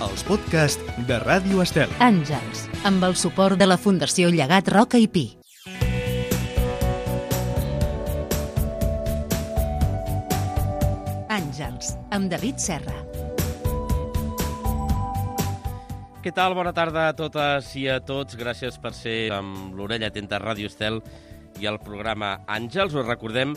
els podcasts de Ràdio Estel. Àngels, amb el suport de la Fundació Llegat Roca i Pi. Àngels, amb David Serra. Què tal? Bona tarda a totes i a tots. Gràcies per ser amb l'orella atenta a Ràdio Estel i al programa Àngels. Us recordem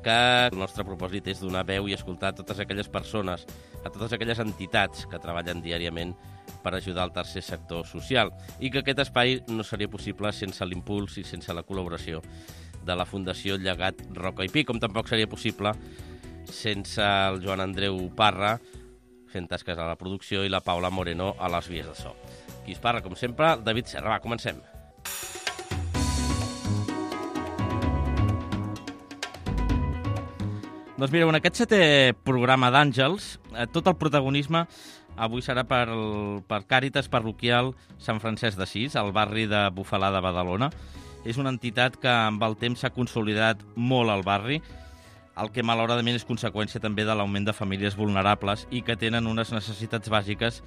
que el nostre propòsit és donar veu i escoltar a totes aquelles persones, a totes aquelles entitats que treballen diàriament per ajudar al tercer sector social i que aquest espai no seria possible sense l'impuls i sense la col·laboració de la Fundació Llegat Roca i Pi, com tampoc seria possible sense el Joan Andreu Parra fent tasques a la producció i la Paula Moreno a les vies de so. Qui es parla, com sempre, David Serra. Va, comencem. Doncs mireu, en aquest setè programa d'Àngels, tot el protagonisme avui serà per Càritas Parroquial Sant Francesc d'Assís, al barri de Bufalà de Badalona. És una entitat que amb el temps s'ha consolidat molt al barri, el que malauradament és conseqüència també de l'augment de famílies vulnerables i que tenen unes necessitats bàsiques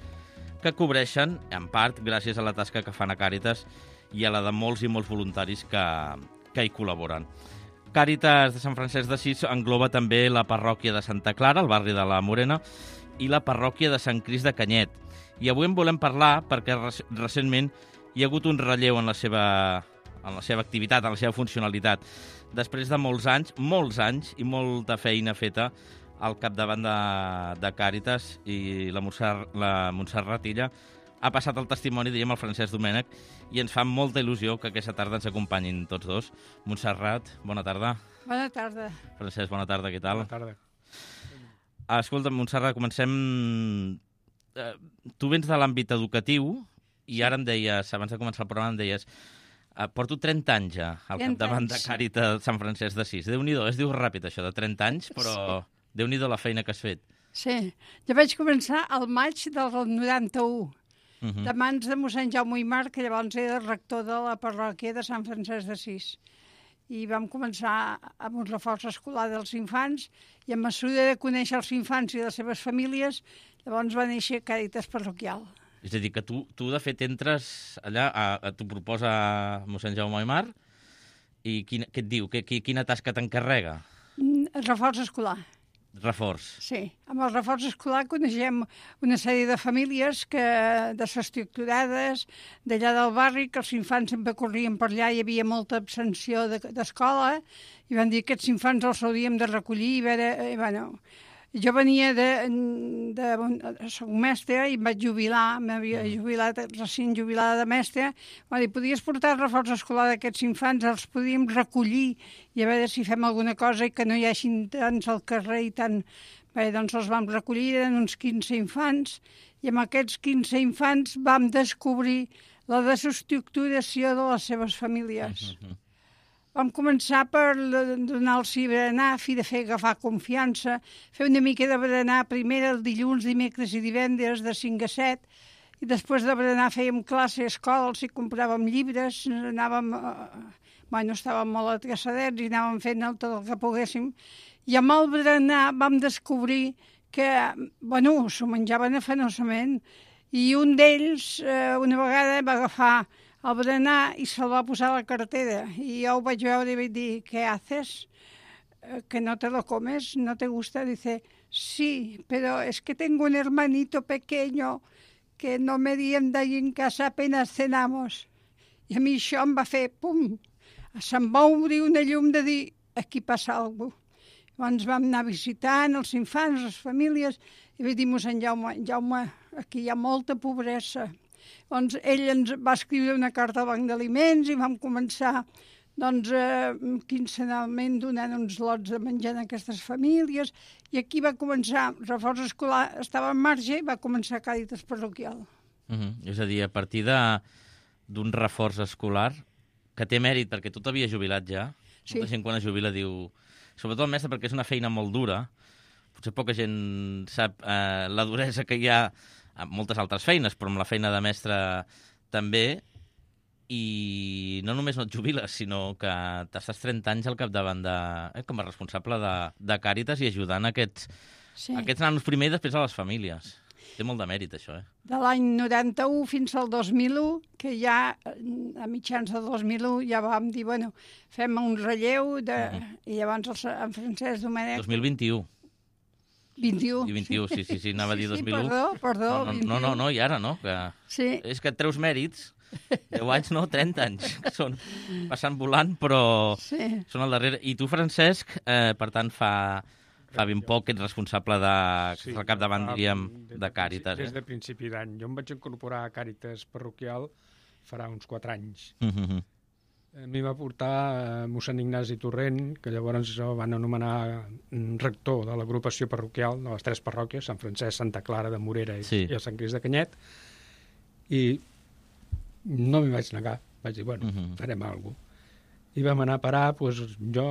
que cobreixen, en part, gràcies a la tasca que fan a Càritas i a la de molts i molts voluntaris que hi col·laboren. Càritas de Sant Francesc d'Assís engloba també la parròquia de Santa Clara, al barri de la Morena, i la parròquia de Sant Crist de Canyet. I avui en volem parlar perquè recentment hi ha hagut un relleu en la seva activitat, en la seva funcionalitat. Després de molts anys i molta feina feta al capdavant de Càritas i la Montserrat Illa, ha passat el testimoni, diríem, al Francesc Domènech, i ens fa molta il·lusió que aquesta tarda ens acompanyin tots dos. Montserrat, bona tarda. Bona tarda. Francesc, bona tarda, què tal? Bona tarda. Escolta, Montserrat, comencem... Tu vens de l'àmbit educatiu i ara em deies, abans de començar el programa, em deies porto 30 anys ja al capdavant de Càritas Sant Francesc d'Assís. Déu-n'hi-do, es diu ràpid això, de 30 anys, però sí. Déu-n'hi-do la feina que has fet. Sí, jo vaig començar al maig del 91, de mans de mossèn Jaume Aimar, que llavors era el rector de la parròquia de Sant Francesc d'Assís. I vam començar amb un reforç escolar dels infants i a mesura de conèixer els infants i les seves famílies, llavors va néixer Càritas Parroquial. És a dir, que tu de fet entres allà, t'ho proposa mossèn Jaume Aimar, i què et diu? Quina tasca t'encarrega? El reforç escolar. Reforç. Sí, amb el reforç escolar coneixem una sèrie de famílies desestructurades d'allà del barri, que els infants sempre corrien per allà, hi havia molta abstenció d'escola, i van dir que aquests infants els hauríem de recollir i veure... Jo venia soc mestra i em vaig jubilar, m'havia jubilat, recent jubilada de mestra. Va dir, podies portar el reforç escolar d'aquests infants, els podíem recollir i a veure si fem alguna cosa i que no hi hagin tants al carrer i tant... Bé, doncs els vam recollir, eren uns 15 infants, i amb aquests 15 infants vam descobrir la desestructuració de les seves famílies. Vam començar per donar-los berenar, fi de fer agafar confiança, fer una mica de berenar primer el dilluns, dimecres i divendres de 5 a 7, i després de berenar fèiem classe a escola, els hi compràvem llibres, estàvem molt atreçadets i anàvem fent tot el que poguéssim. I amb el berenar vam descobrir que, s'ho menjaven afanosament, i un d'ells una vegada va agafar el berenar i se'l va posar a la cartera. I jo ho vaig veure i vaig dir, ¿qué haces? ¿Que no te lo comes? ¿No te gusta? Dice, sí, pero es que tengo un hermanito pequeño que no merienda y en casa apenas cenamos. I a mi això em va fer, pum, se'm va obrir una llum de dir, aquí passa alguna cosa. Llavors vam anar visitant els infants, les famílies, i vaig dir, mossèn Jaume, aquí hi ha molta pobresa. Doncs ell ens va escriure una carta al Banc d'Aliments i vam començar quinzenalment donant uns lots de menjar a aquestes famílies, i aquí va començar, el reforç escolar estava en marxa i va començar Càritas Parroquial. És a dir, a partir d'un reforç escolar, que té mèrit perquè tu t'havies jubilat ja, sí. Molta gent quan es jubila diu, sobretot el mestre perquè és una feina molt dura, potser poca gent sap la duresa que hi ha amb moltes altres feines, però amb la feina de mestre també, i no només no et jubiles, sinó que t'estàs 30 anys al capdavant com a responsable de Càritas i ajudant aquests nanos primer i després a les famílies. Té molt de mèrit, això, De l'any 91 fins al 2001, que ja a mitjans del 2001 ja vam dir, bueno, fem un relleu i llavors en Francesc Domènech... 2021. 21. I 21, sí, anava a dir 2001. Perdó, 21. No, i ara no, que... Sí. És que et treus mèrits, 10 anys, no, 30 anys, que són passant volant, però són al darrere. I tu, Francesc, per tant, fa ben poc que ets responsable del capdavant, diríem, de Càritas. Des de principi d'any. Jo em vaig incorporar a Càritas parroquial farà uns 4 anys. A mi va portar mossèn Ignasi Torrent, que llavors van anomenar rector de l'agrupació parroquial de les 3 parròquies, Sant Francesc, Santa Clara de Morera i el Sant Crist de Canyet, i no m'hi vaig negar. Vaig dir, bueno, farem alguna cosa. I vam anar a parar, doncs, jo,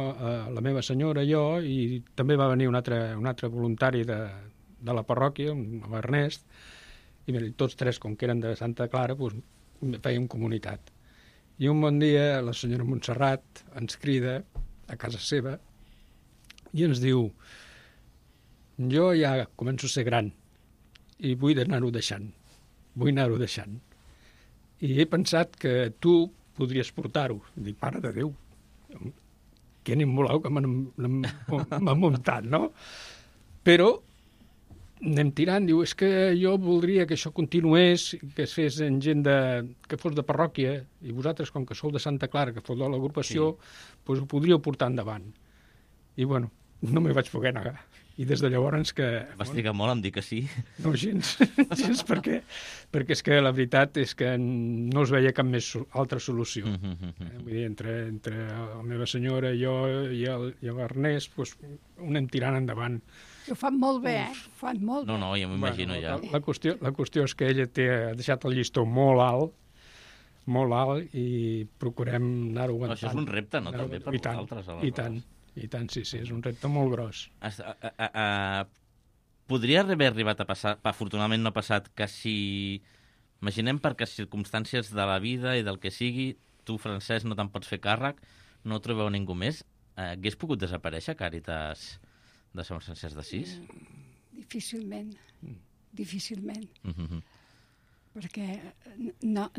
la meva senyora, jo, i també va venir un altre voluntari de la parròquia, l'Ernest, i tots 3, com que eren de Santa Clara, doncs, fèiem comunitat. I un bon dia la senyora Montserrat ens crida a casa seva i ens diu: jo ja començo a ser gran i vull anar-ho deixant. I he pensat que tu podries portar-ho. Dic, mare de Déu, que ni em voleu que m'ha muntat, no? Però anem tirant, diu, és que jo voldria que això continués, que es fes en gent que fos de parròquia, i vosaltres, com que sou de Santa Clara, que fos de l'agrupació, doncs ho podríeu portar endavant. I, bueno, no m'hi vaig poder negar. I des de llavors que... Vas trigar molt en dir que sí? No, gens, perquè és que la veritat és que no es veia cap més altra solució. Vull dir, entre la meva senyora, jo i l'Ernest, doncs ho anem tirant endavant. Ho fan molt bé, fan molt bé. No, ja m'imagino ja. La qüestió és que ella ha deixat el llistó molt alt, i procurem anar-ho aguantant. Això és un repte, no?, també per vosaltres. I tant, sí, és un repte molt gros. Podria haver arribat a passar, afortunadament no ha passat, que si, imaginem perquè circumstàncies de la vida i del que sigui, tu, Francesc, no te'n pots fer càrrec, no trobeu ningú més, hagués pogut desaparèixer Càritas de Sant Francesc d'Assís? Difícilment. Perquè no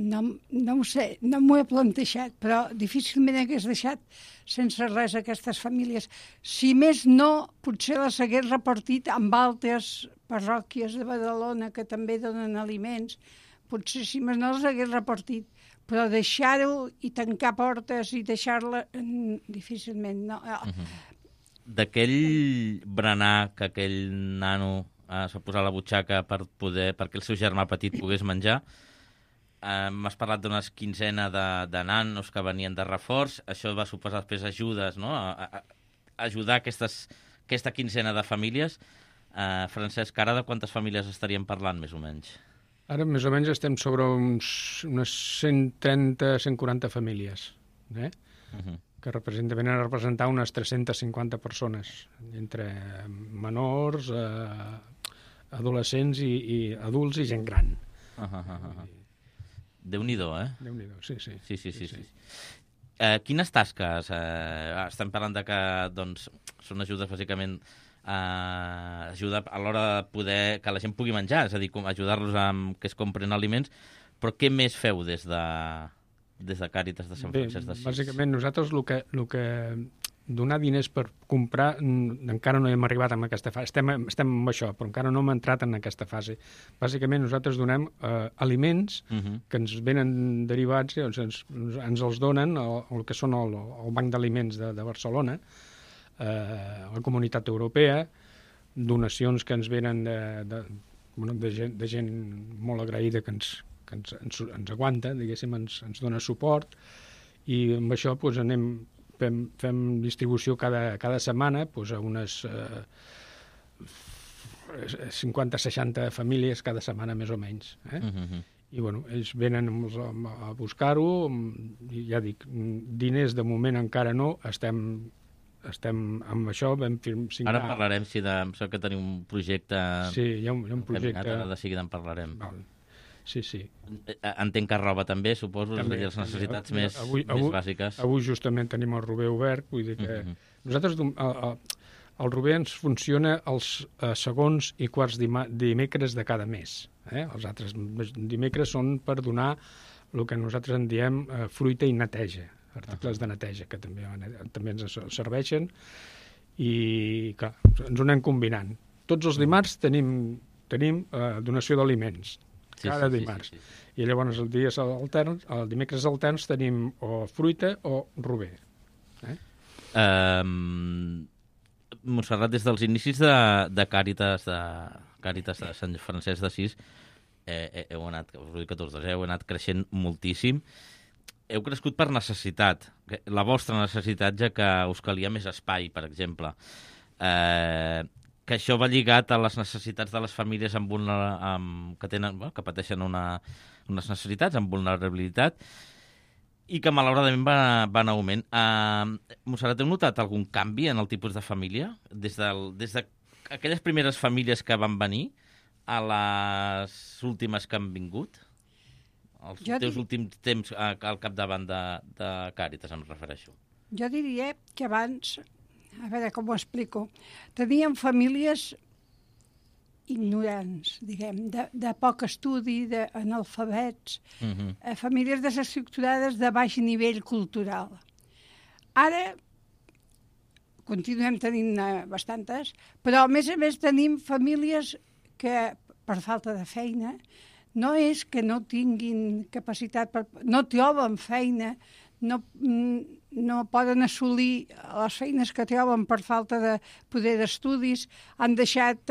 ho sé, no m'ho he plantejat, però difícilment hagués deixat sense res aquestes famílies. Si més no, potser les hagués repartit amb altres parròquies de Badalona que també donen aliments. Potser si més no les hagués repartit, però deixar-ho i tancar portes i deixar-la, difícilment, no. D'aquell berenar que aquell nano es va posar a la butxaca perquè el seu germà petit pogués menjar, m'has parlat d'una quinzena de nanos que venien de reforç, això va suposar després ajudes, no?, a ajudar aquesta quinzena de famílies. Francesc, ara de quantes famílies estaríem parlant, més o menys? Ara, més o menys, estem sobre unes 130-140 famílies, que venen a representar unes 350 persones, entre menors, adolescents i adults i gent gran. Déu-n'hi-do, Déu-n'hi-do, sí. Quines tasques? Estem parlant de que són ajudes, bàsicament, ajuda a l'hora de poder que la gent pugui menjar, és a dir, ajudar-los amb que es compren aliments, però què més feu des de Càritas de Sant Francesc d'Assís? Bàsicament, nosaltres el que donar diners per comprar encara no hem arribat a aquesta fase. Estem amb això, però encara no hem entrat en aquesta fase. Bàsicament, nosaltres donem aliments que ens venen derivats, ens els donen el que són el Banc d'Aliments de Barcelona, la Comunitat Europea, donacions que ens venen de gent molt agraïda que ens aguanta, diguéssim, ens dona suport, i amb això fem distribució cada setmana a unes 50-60 famílies cada setmana, més o menys. I, ells venen a buscar-ho, i ja dic, diners de moment encara no, estem amb això, vam signar... Ara parlarem, si sap que tenim un projecte... Sí, hi ha un projecte... Ara de seguida en parlarem. Sí. Entenc que roba també, suposo, també, les necessitats més bàsiques. Avui justament tenim el Rober obert, vull dir que nosaltres El Rober ens funciona els segons i quarts dimecres de cada mes. Els altres dimecres són per donar el que nosaltres en diem fruita i neteja, articles de neteja, que també ens serveixen, i clar, ens ho anem combinant. Tots els dimarts tenim donació d'aliments, cada dimarts. Sí. I llavors els dimecres alterns tenim o fruita o Rober. Montserrat, des dels inicis de Càritas de Sant Francesc d'Assís, heu anat creixent moltíssim. Heu crescut per necessitat, la vostra necessitat, ja que us calia més espai, per exemple. Que això va lligat a les necessitats de les famílies que pateixen unes necessitats amb vulnerabilitat, i que malauradament va en augment. Montserrat, heu notat algun canvi en el tipus de família? Des d'aquelles primeres famílies que van venir a les últimes que han vingut? Els teus últims temps al capdavant de Càritas, em refereixo. Jo diria que abans, a veure com ho explico, teníem famílies ignorants, diguem, de poc estudi, d'analfabets, famílies desestructurades de baix nivell cultural. Ara continuem tenint bastantes, però a més tenim famílies que per falta de feina no és que no tinguin capacitat, no troben feina, no poden assolir les feines que troben per falta de poder d'estudis, han deixat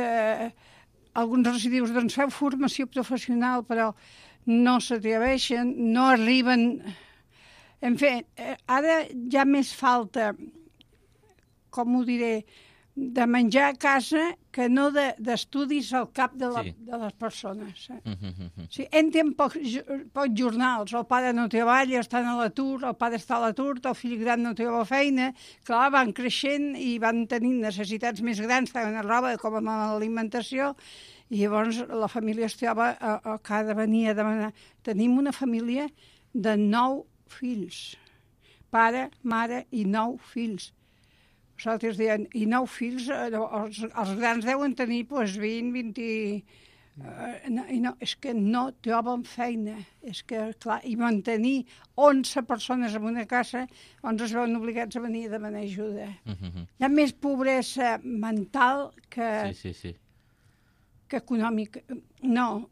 alguns residus, doncs feu formació professional, però no s'atreveixen, no arriben. En fi, ara hi ha més falta, com ho diré, de menjar a casa que no d'estudis al cap de les persones. Sí, entren pocs jornals, el pare no treballa, estan a l'atur, el pare està a l'atur, el fill gran no troba feina, clar, van creixent i van tenint necessitats més grans, tant en roba com en l'alimentació, i llavors la família es troba que ha de venir a demanar. Tenim una família de 9 fills, pare, mare i 9 fills. Nosaltres diem, i 9 fills, els grans deuen tenir 20, 20... és que no troben feina. És que, clar, i mantenir 11 persones en una casa, doncs es veuen obligats a venir a demanar ajuda. Hi ha més pobresa mental que econòmica. No.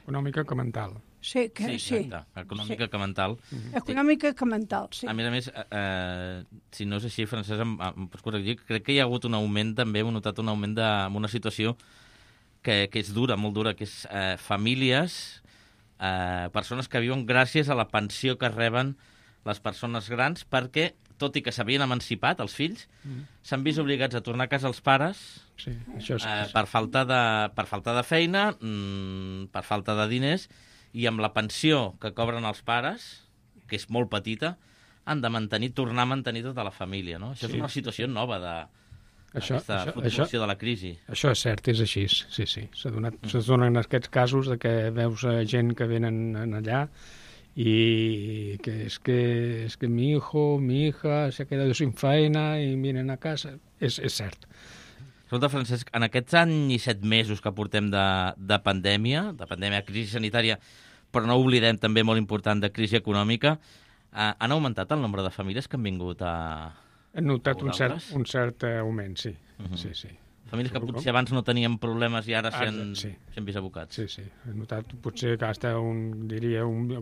Econòmica que mental. Sí. Econòmica que mental. Econòmica que mental, sí. A més, si no és així, Francesc, em pots corregir, crec que hi ha hagut un augment, també heu notat un augment en una situació que és dura, molt dura, que és famílies, persones que viuen gràcies a la pensió que reben les persones grans, perquè, tot i que s'havien emancipat, els fills, s'han vist obligats a tornar a casa els pares per falta de feina, per falta de diners, i amb la pensió que cobren els pares, que és molt petita, han de tornar a mantenir tota la família, no? Això és una situació nova d'aquesta fluctuació de la crisi. Això és cert, és així, sí. Se donen aquests casos de que veus gent que venen allà y que es que mi hijo, mi hija se ha quedado sin feina i vienen a casa. És cert. Escolta, Francesc, en aquests anys i 7 mesos que portem de pandèmia, crisi sanitària, però no oblidem també molt important de crisi econòmica, han augmentat el nombre de famílies que han vingut a... Hem notat un cert augment, sí. Sí. Famílies que potser abans no tenien problemes i ara s'han vist abocats. Sí. He notat potser que hasta ha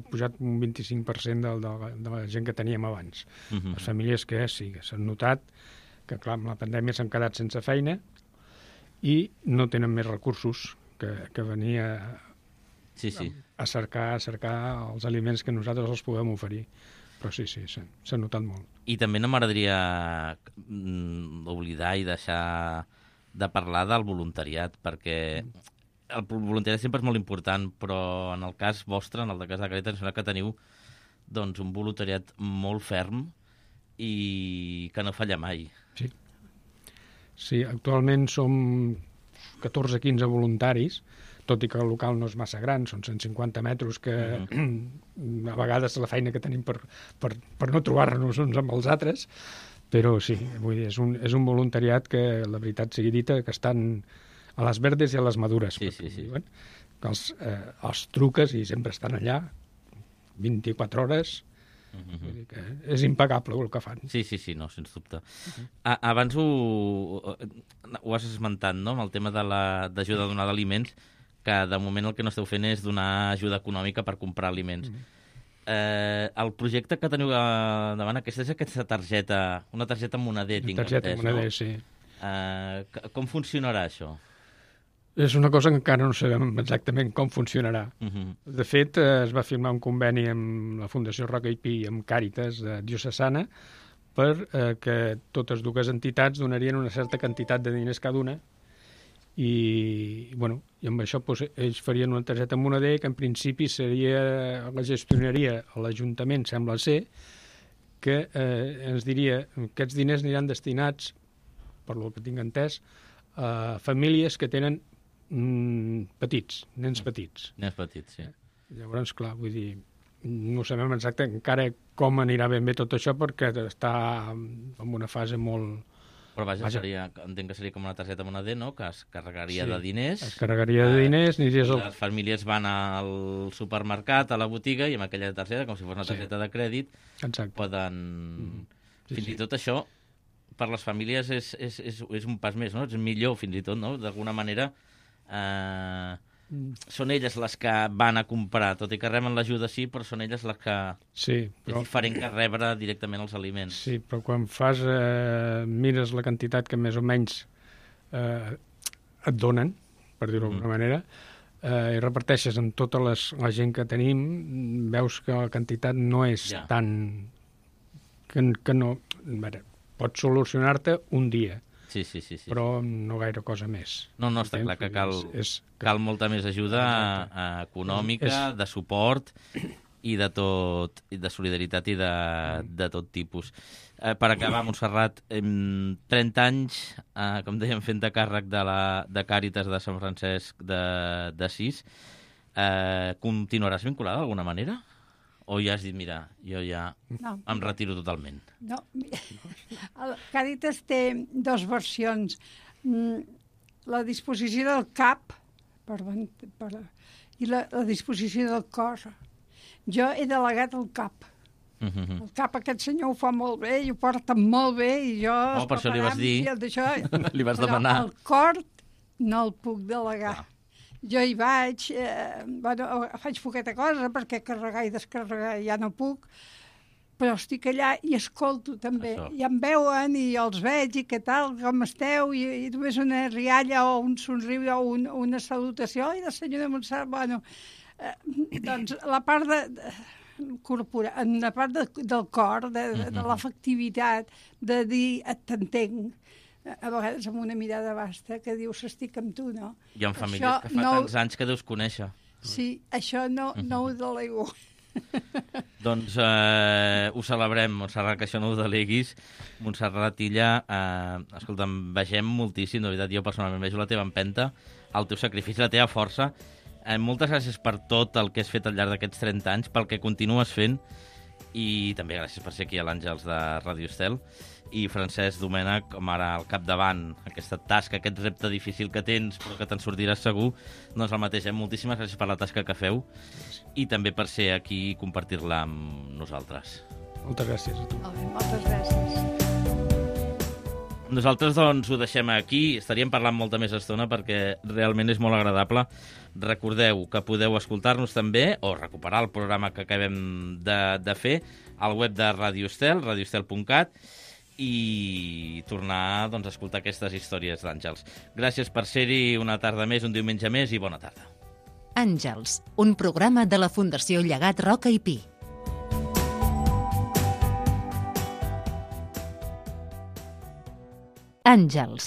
pujat un 25% de la gent que teníem abans. Les famílies que s'han notat que, clar, amb la pandèmia s'han quedat sense feina i no tenen més recursos que venir a cercar els aliments que nosaltres els podem oferir. Però sí, s'ha notat molt. I també no m'agradaria oblidar i deixar de parlar del voluntariat, perquè el voluntariat sempre és molt important, però en el cas vostre, en el cas de Càritas, que teniu doncs, un voluntariat molt ferm i que no falla mai. Sí, actualment som 14-15 voluntaris, tot i que el local no és massa gran, són 150 metres, que a vegades la feina que tenim per no trobar-nos uns amb els altres, Però sí, vull dir, és un voluntariat que, la veritat sigui dita, que estan a les verdes i a les madures. Sí. Diuen, que els truques i sempre estan allà 24 hores. Vull dir que és impecable el que fan. Sí, no, sens dubte. Abans ho has esmentat, no?, amb el tema d'ajuda a donar d'aliments, que de moment el que no esteu fent és donar ajuda econòmica per comprar aliments. El projecte que teniu davant, aquesta targeta, una targeta moneder, tinc entès, targeta moneder, no? Sí. Com funcionarà això? És una cosa que encara no sabem exactament com funcionarà. De fet, es va firmar un conveni amb la Fundació Roca i Pi i amb Càritas diocesana per que totes dues entitats donarien una certa quantitat de diners cada una i amb això ells farien una targeta moneder que en principi la gestionaria a l'Ajuntament, sembla ser, que ens diria que aquests diners aniran destinats, per lo que tinc entès, a famílies que tenen nens petits. Nens petits, sí. Llavors, clar, vull dir, no sabem exactament encara com anirà ben bé tot això perquè està en una fase molt... Però vaja. Entenc que seria com una targeta moneder, no?, que es carregaria de diners. Es carregaria de diners. Les famílies van al supermercat, a la botiga, i amb aquella targeta, com si fos una targeta de crèdit, poden... Fins i tot això, per les famílies, és un pas més, no? És millor, fins i tot, no? D'alguna manera... són elles les que van a comprar, tot i que reben l'ajuda però són elles les que... És diferent que rebre directament els aliments. Sí, però quan mires la quantitat que més o menys et donen, per dir-ho d'alguna manera, i reparteixes amb tota la gent que tenim, veus que la quantitat no és tan... que no... Pots solucionar-te un dia. Sí. Però no gaire cosa més. No, està clar que cal molta més ajuda econòmica, de suport i de solidaritat i de tot tipus. Per acabar, Montserrat, 30 anys, com dèiem, fent de càrrec de Càritas de Sant Francesc d'Assís. Continuaràs vinculada d'alguna manera? O ja has dit, mira, jo ja em retiro totalment? No. El Càritas té dues versions. La disposició del cap i la disposició del cor. Jo he delegat el cap. El cap aquest senyor ho fa molt bé i ho porta molt bé i jo... Per això li vas dir, li vas demanar. El cor no el puc delegar. Jo hi vaig, faig poqueta cosa perquè carregar i descarregar ja no puc, però estic allà i escolto també. I em veuen i els veig i què tal, com esteu, i només una rialla o un somriure o una salutació. I la senyora Montserrat, doncs la part la part del cor, de l'afectivitat, de dir t'entenc, a vegades amb una mirada basta que dius estic amb tu, no? Hi ha famílies que fa tants anys que deus conèixer. Sí, això no ho delego. Doncs ho celebrem, Montserrat, que això no ho deleguis. Montserrat Illa, escolta'm, vegem moltíssim, de veritat, jo personalment vejo la teva empenta, el teu sacrifici, la teva força. Moltes gràcies per tot el que has fet al llarg d'aquests 30 anys, pel que continues fent, i també gràcies per ser aquí a l'Àngels de Ràdio Estel. I Francesc Domènech, com ara al capdavant, aquesta tasca, aquest repte difícil que tens, però que te'n sortiràs segur, doncs el mateix. Moltíssimes gràcies per la tasca que feu i també per ser aquí i compartir-la amb nosaltres. Moltes gràcies a tu. Moltes gràcies. Nosaltres doncs ho deixem aquí, estaríem parlant molta més estona perquè realment és molt agradable. Recordeu que podeu escoltar-nos també o recuperar el programa que acabem de fer al web de Ràdio Estel, radioestel.cat, i tornar a escoltar aquestes històries d'Àngels. Gràcies per ser-hi una tarda més, un diumenge més, i bona tarda. Àngels, un programa de la Fundació Llegat Roca i Pi. Àngels.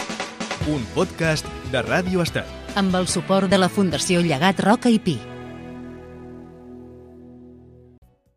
Un podcast de Ràdio Estel. Amb el suport de la Fundació Llegat Roca i Pi.